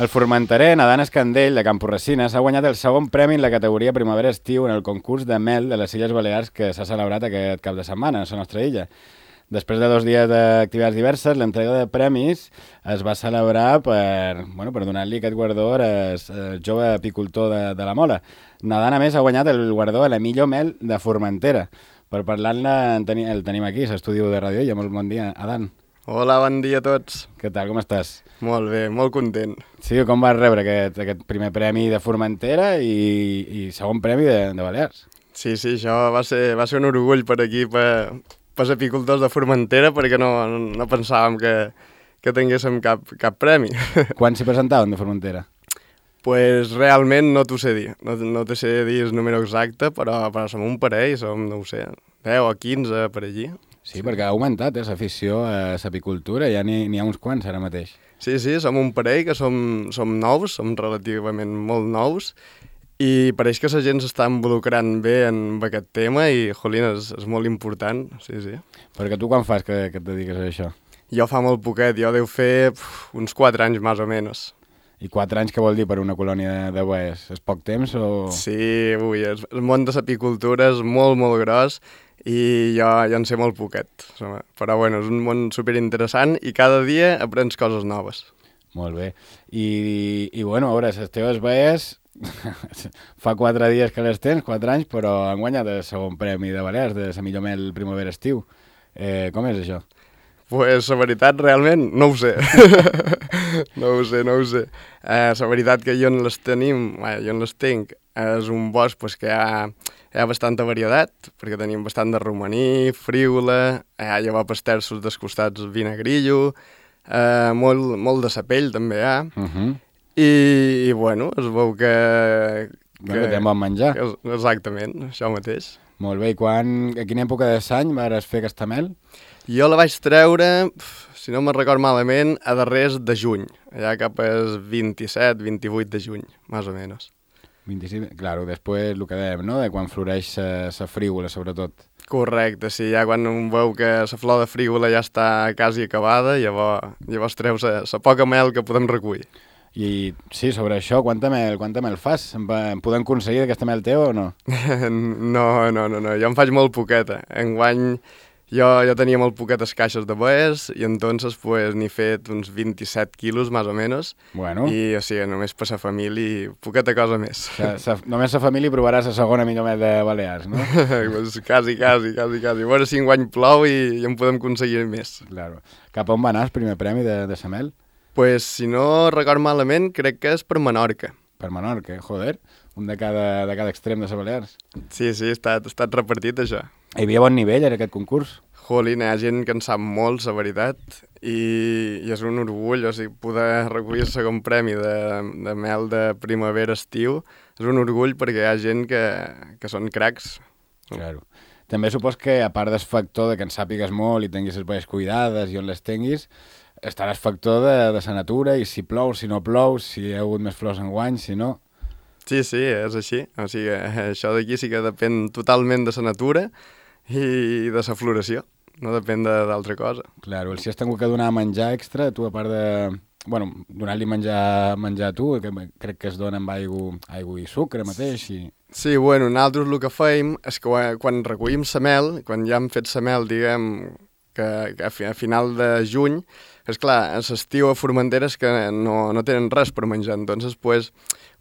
El formenterer Nadal Escandell, de Camporresina, s'ha guanyat el segon premi en la categoria Primavera-Estiu en el concurs de mel de les Illes Balears que s'ha celebrat aquest cap de setmana a la nostra illa. Després de 2 dies d'activitats diverses, l'entrega de premis es va celebrar per donar-li aquest guardó al jove apicultor de la Mola. Nadal, a més, ha guanyat el guardó a la millor mel de Formentera. Per parlar-ne el tenim aquí, a l'estudi de Ràdio Illa. Molt bon dia, Adán. Hola, bon dia a tots. Què tal, com estàs? Molt bé, molt content. Sí, com vas rebre aquest primer premi de Formentera i segon premi de Balears? Sí, això va ser un orgull per aquí, per els apicultors de Formentera, perquè no pensàvem que tinguéssim cap premi. Quan s'hi presentaven de Formentera? Pues realment no t'ho sé dir. No t'ho sé dir el número exacte, però som un parell, no ho sé, 10 o 15 per allí. Sí, perquè ha augmentat l'afició a l'apicultura, ja n'hi ha uns quants ara mateix. Sí, som un parell que som nous, som relativament molt nous, i pareix que la gent s'està involucrant bé en aquest tema i, jolín, és molt important, sí. Perquè tu quan fas que et dediques a això? Jo fa molt poquet, jo deu fer uns 4 anys, més o menys. I 4 anys què vol dir per una colònia de boes? És poc temps o...? Sí, el món de l'apicultura és molt, molt gros i jo en sé molt poquet. Però bueno, és un món superinteressant i cada dia aprens coses noves. Molt bé. I bueno, a veure, les teves boes... fa 4 dies que les tens, 4 anys, però han guanyat el segon premi de Balears, de la millor mel primavera-estiu. Com és això? Pues la veritat, realment, no ho sé. No ho sé. La veritat que jo en les tinc, és un bosc que hi ha bastanta varietat, perquè tenim bastant de romaní, frígola, llavors terços dels costats vinagrillo, molt de sapell també hi ha, i bueno, es veu que té bon menjar. Exactament, això mateix. Molt bé, i a quina època de l'any vas fer aquesta mel? Jo la vaig treure, si no me'n record malament, a darrers de juny, allà cap al 27-28 de juny, més o menys. 25, claro, després el que dèiem, no?, de quan floreix la frígola, sobretot. Correcte, sí, ja quan un veu que la flor de frígola ja està quasi acabada, llavors treus la poca mel que podem recollir. I sí, sobre això, quanta mel fas? En podem aconseguir aquesta mel teva o no? No, jo en faig molt poqueta. Enguany jo tenia molt poquetes caixes de boes i entonces n'he fet uns 27 quilos, més o menys. Bueno. I, o sigui, només per la família, poqueta cosa més. Només la família provaràs la segona millor mel de Balears, no? Pues quasi. A veure si enguany plou i en podem aconseguir més. Claro. Cap on va anar el primer premi de la mel? Pues, si no record malament, crec que és per Menorca. Per Menorca, joder. Un de cada extrem de les Balears. Sí, ha estat repartit, això. Hi havia bon nivell en aquest concurs? Jolín, hi ha gent que en sap molt, la veritat, i és un orgull, o sigui, poder recollir el segon premi de mel de primavera-estiu és un orgull perquè hi ha gent que són cracs. Claro. També supos que, a part del factor de que en sàpigues molt i tinguis les boies cuidades i on les tinguis, estarà el factor de la natura i si plou, si no plou, si hi ha hagut més flors enguany, si no... Sí, és així. O sigui, això d'aquí sí que depèn totalment de la natura i de la floració. No depèn d'altra cosa. Claro, si has tingut que donar menjar extra, tu a part de... Bueno, donar-li menjar a tu, que crec que es dona amb aigua i sucre mateix. Sí, bueno, nosaltres el que fèiem és que quan recollim la mel, quan ja hem fet la mel, diguem, que a final de juny, és clar, a l'estiu a Formentera és que no tenen res per menjar, entonces pues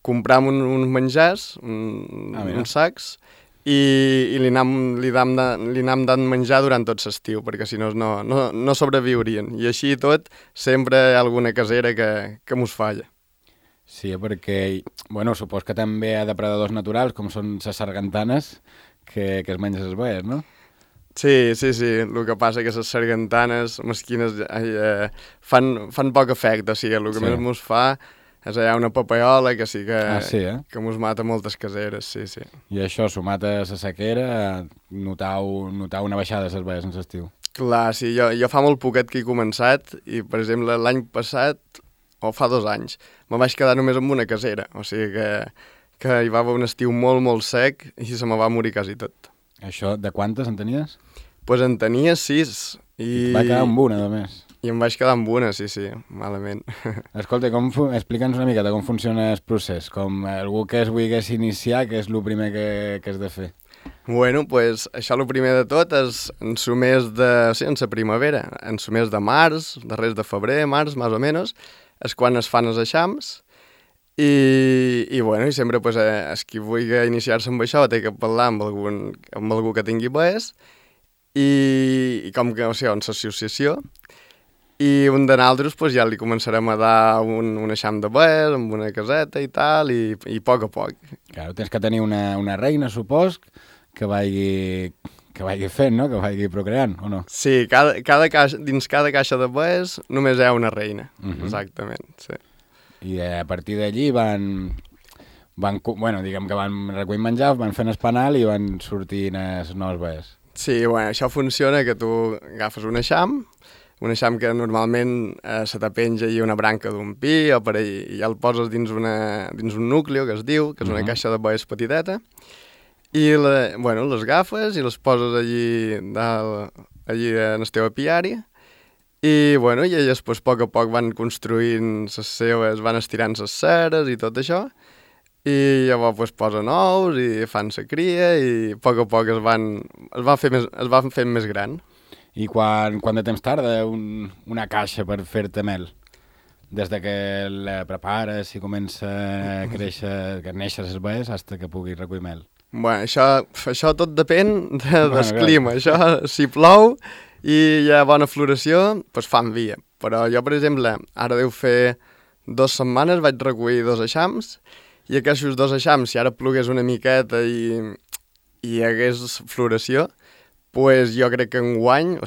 compram uns menjars, uns sacs, i li anam dant menjar durant tot l'estiu, perquè si no sobreviurien. I així i tot, sempre hi ha alguna casera que mos falla. Sí, perquè, bueno, supos que també hi ha depredadors naturals, com són les sargantanes, que es mengen les boies, no? Sí, el que passa que les sargantanes mesquines fan poc efecte, o sigui, el que més mos fa és allà una papaiola que sí que mos mata moltes caseres, sí. I això, sumat a la sequera, notar una baixada de les boies en l'estiu. Clar, sí, jo fa molt poquet que he començat i, per exemple, l'any passat, o fa 2 anys, me vaig quedar només amb una casera, o sigui que hi va haver un estiu molt, molt sec i se me va morir quasi tot. Això, de quantes en tenies? Pues en tenia 6. I va quedar amb una, només. I em vaig quedar amb una, sí, malament. Escolta, explica'ns una miqueta com funciona el procés. Com algú que es volgués iniciar, què és el primer que has de fer? Bueno, pues això el primer de tot és en su mes de... Sí, en la primavera, en su mes de març, darrers de febrer, març, més o menys, és quan es fan els eixams i bueno, i sempre pues, el qui vulgui iniciar-se amb això té que parlar amb algú que tingui bes i com que, o sigui, en l'associació i un de nosaltres pues, ja li començarem a dar un eixam de bes amb una caseta i tal i a poc a poc. Claro, tens que tenir una reina, supos, que vagi fent, no? Que vagi procreant, o no? Sí, dins cada caixa de bes només hi ha una reina, exactament, sí. I a partir d'allí bueno, diguem que van recollint menjar, van fent el panal i van sortint els nous bes. Sí, bueno, això funciona que tu agafes un eixam que normalment se te penja i una branca d'un pi o per allà, i ja el poses dins un núcleo, que es diu, que és una caixa de bes petiteta, i les agafes i les poses allí en el teu apiari i, bueno, i elles pues, a poc van construint les seves, van estirant les ceres i tot això i llavors pues, posen ous i fan la cria i a poc es van fent més gran. I quant de temps tarda una caixa per fer-te mel? Des de que la prepares i comença a créixer, que neixen els bes, fins que puguis recollir mel. Bueno, això tot depèn del clima. Això, si plou i hi ha bona floració, doncs fan via. Però jo, per exemple, ara deu fer 2 setmanes vaig recollir 2 eixams i aquests 2 eixams, si ara plogués una miqueta i hi hagués floració, pues jo crec que enguany,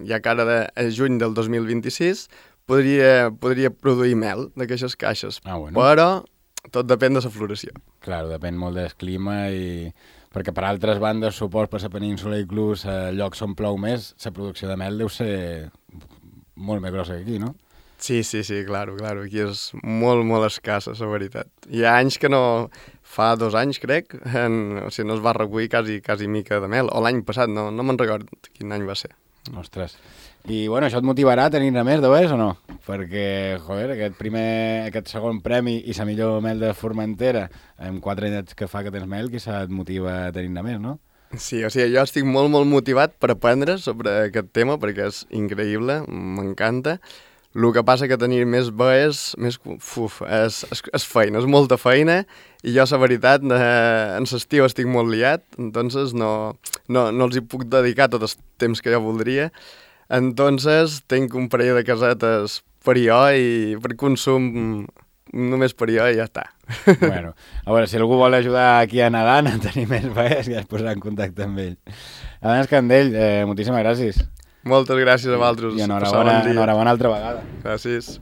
ja que ara de juny del 2026, podria produir mel d'aquestes caixes. Bueno. Però tot depèn de la floració. Claro, depèn molt del clima i... Perquè per altres bandes, supos, per la península, inclús a llocs on plou més, la producció de mel deu ser molt més grossa que aquí, no? Sí, claro. Aquí és molt, molt escassa, la veritat. Hi ha anys que no... Fa 2 anys, crec, no es va recollir quasi mica de mel. O l'any passat, no me'n recordo quin any va ser. Ostres. I, bueno, això et motivarà a tenir-ne més de bes o no? Perquè, joder, aquest segon premi i la millor mel de Formentera, amb 4 anys que fa que tens mel, quizà et motiva a tenir-ne més, no? Sí, o sigui, jo estic molt, molt motivat per aprendre sobre aquest tema, perquè és increïble, m'encanta. El que passa que tenir més bes és feina, és molta feina, i jo, la veritat, en l'estiu estic molt liat, entonces no els hi puc dedicar tot el temps que jo voldria. Entonces, tinc un parell de casetes per jo i per consum només per jo i ja està. Bueno, a veure, si algú vol ajudar aquí a Nadal a tenir més bes, ja es posarà en contacte amb ell. Adán Escandell, moltíssimes gràcies. Moltes gràcies a vosaltres. I enhorabona altra vegada. Gràcies.